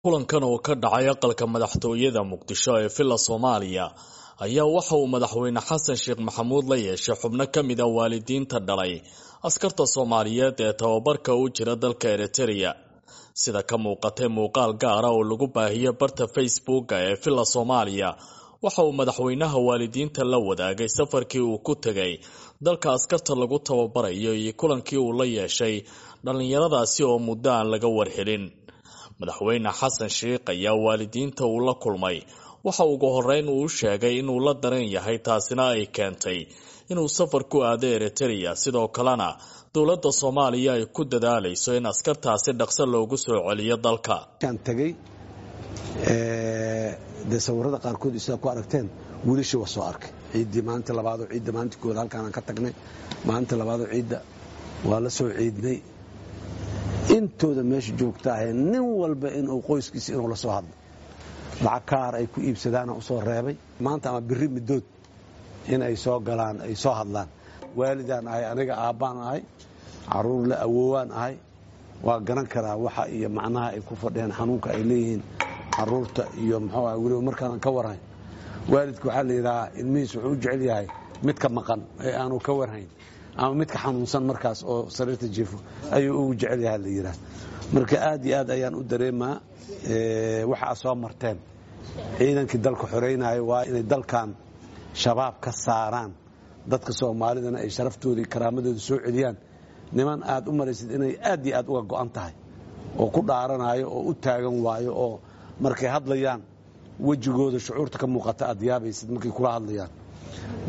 Kulankan oo ka dhacay aqalka madaxtooyada Muqdisho ee Villa Soomaaliya ayaa waxa uu madaxweyne Xasan Sheekh Maxamuud la yeeshay xubno ka mid ah waalidiinta dhalay askarta Soomaaliyeed ee tababarka u jira dalka Eritrea. Sida ka muuqatay muuqaal gaar ah oo lagu baahiyey barta Facebooka ee Villa Soomaaliya, waxa uu madaxweynaha waalidiinta la wadaagay safarkii uu ku tegay dalka askarta lagu tababarayo iyo kulankii uu la yeeshay dhallinyaradaasi oo muddo aan laga warhelin. Madaxweyne Xasan Sheekh ayaa waalidiinta uu la kulmay waxa ugu horreyn uu sheegay inuu la dareen yahay, taasina ay keentay inuu safar ku aado Eritrea, sidoo kalena dowladda Soomaaliya ay ku dadaalayso in askartaasi dhaqso loogu soo celiyo dalka. Tagay dee sawirada qaarkood sidaa ku aragteen wiilashii waa soo arkay ciiddii maalinta labaadoo ciidda maalinta koowaad halkaanaan ka tagnay, maalinta labaadoo ciidda waa la soo ciidnay. Intooda meesha joogta ahee nin walba inuu qoyskiisa inuu la soo hadlo lacag kaar ay ku iibsadaana u soo reebay maanta ama biri middood in ay soo galaan ay soo hadlaan. Waalidaan ahay, aniga aabbaan ahay, carruur la awoowaan ahay, waa garan karaa waxa iyo macnaha ay ku fadhiyaan, xanuunka ay leeyihiin carruurta iyo muxuu aha. Weliba markaanan ka warhayn waalidka waxaa la yidhahaa ilmihiis wuxuu u jecel yahay midka maqan ee aanu ka warhayn ama midka xanuunsan markaas oo sariirta jiifo ayuu ugu jecel yahay la yidhaha. Marka aad iyo aad ayaan u dareemaa waxa aad soo marteen. Ciidankii dalka xoreynaayo waa inay dalkan shabaab ka saaraan, dadka soomaalidana ay sharaftooda iyo karaamadooda soo celiyaan. Niman aad u maraysid inay aad iyo aad uga go'an tahay oo ku dhaaranayo oo u taagan waayo, oo markay hadlayaan wejigooda shucuurta ka muuqata aad yaabaysid markay kula hadlayaan.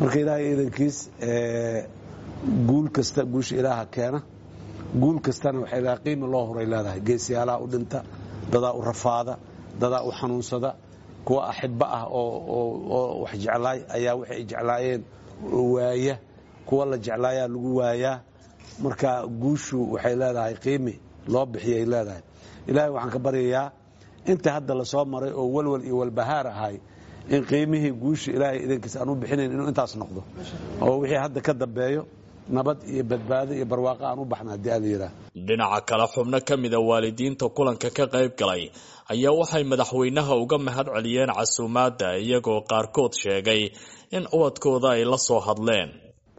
Marka ilaahay ciidankiis, guul kasta guusha ilaaha keena, guul kastana waxay leedahay qiima loo horay leedahay. Geesiyaalaha u dhinta, dadaa u rafaada, dadaa u xanuunsada, kuwa axibba ah oo wax jeclaay ayaa waxay ay jeclaayeen waaya, kuwa la jeclaayaa lagu waayaa. Marka guushu waxay leedahay qiimi loo bixiyay leedahay. Ilaahay waxaan ka baryayaa inta hadda lasoo maray oo walwal iyo walbahaar ahay in qiimihii guusha ilaahay idankiis aan u bixinayn inuu intaas noqdo, oo wixii hadda ka dambeeyo nabad iyo badbaado iyo barwaaqo aan u baxna haddii aala yidhaah. Dhinaca kale, xubno ka mida waalidiinta kulanka ka qayb galay ayaa waxay madaxweynaha uga mahad celiyeen casuumaadda, iyagoo qaarkood sheegay in ubadkooda ay la soo hadleen.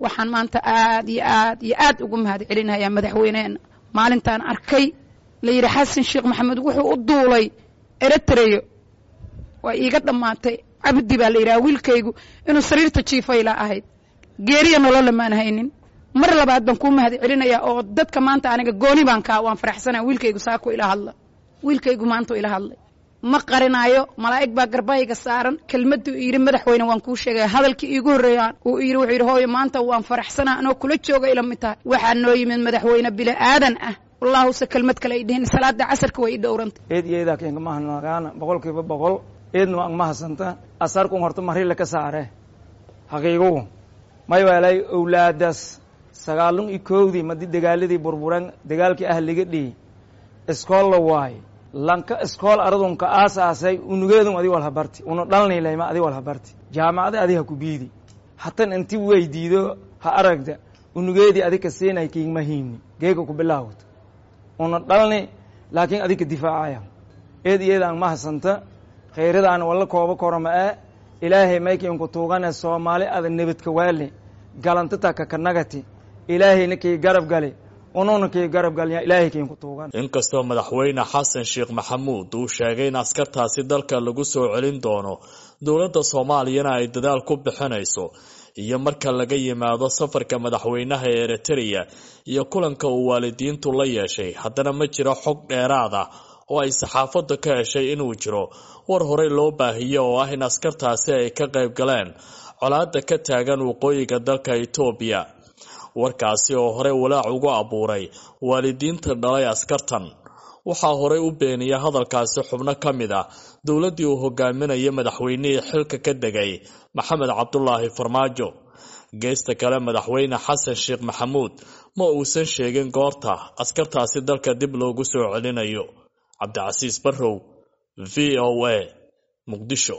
Waxaan maanta aad iyo aad iyo aad ugu mahad celinayaa madaxweyneena. Maalintaan arkay la yidhi Xasan Sheekh Maxamed wuxuu u duulay Eritreyo, waa iiga dhammaatay. Cabdi baa la yidhaha wiilkaygu, inuu sariirta jiifayla ahayd, geeriya nololla maan haynin. Mar labaad baan kuu mahad celinayaa oo dadka maanta aniga gooni baan kaa waan faraxsanaa. Wiilkaygu saako ila hadla, wiilkaygu maanta ila hadlay, ma qarinaayo, malaa'ig baa garbahayga saaran. Kelmadduu yidhi madaxweyne waan kuu sheegaya, hadalkii iigu horreeyaan uu yidhi wuxuu yidhi hooyo maanta waan faraxsanaa anoo kula jooga ila mid tahay. Waxaa noo yimid madaxweyne bili aadan ah, wallaahuse kelmad kale ay dhihin. Salaada casarka way ii dhowrantay. Eed iyo eedaa keenka mahanagaana 100%, eedna waan mahasanta. Asarkun horta marila ka saare xaqiigugu may waalay owlaadaas sagaalun iyo kowdii madi dagaaladii burburan, dagaalkii ahliga dhihi iskool la waaye, lanka iskool aradunka aasaasay unugeedun adi walhabarti una dhalnilayma adi walhabarti jaamacada adi ha ku biidi hatan inti weydiido ha aragda unugeedii adika siinay kiigma hiini geega ku bilaawto una dhalni, laakiin adika difaacaya. Eed iyadaan mahasanta, khayradaan walla koobo koroma ee ilaahay maykiinku tuugane soomaali ada nebadka waale galantata kakanagati, ilaahayna kii garab gali unuuna kii garab galya ilaahay kiinku tuugan. Inkastoo madaxweyne Xasan Sheekh Maxamuud uu sheegay in askartaasi dalka lagu soo celin doono, dowladda Soomaaliyana ay dadaal ku bixinayso, iyo marka laga yimaado safarka madaxweynaha ee Eritrea iyo kulanka uu waalidiintu la yeeshay, haddana ma jiro xog dheeraad ah oo ay saxaafaddu ka heshay inuu jiro war horey loo baahiyo oo ah in askartaasi ay ka qayb galeen colaadda ka taagan waqooyiga dalka Itoobiya, warkaasi oo horey walaac ugu abuuray waalidiinta dhalay askartan. Waxaa horey u beeniyay hadalkaasi xubno ka mid ah dowladdii uu hogaaminayay madaxweynihii xilka ka degay Maxamed Cabdulaahi Farmaajo. Geesta kale, madaxweyne Xasan Sheekh Maxamuud ma uusan sheegin goorta askartaasi dalka dib loogu soo celinayo. Cabdicasiis Barrow, V O A, Muqdisho.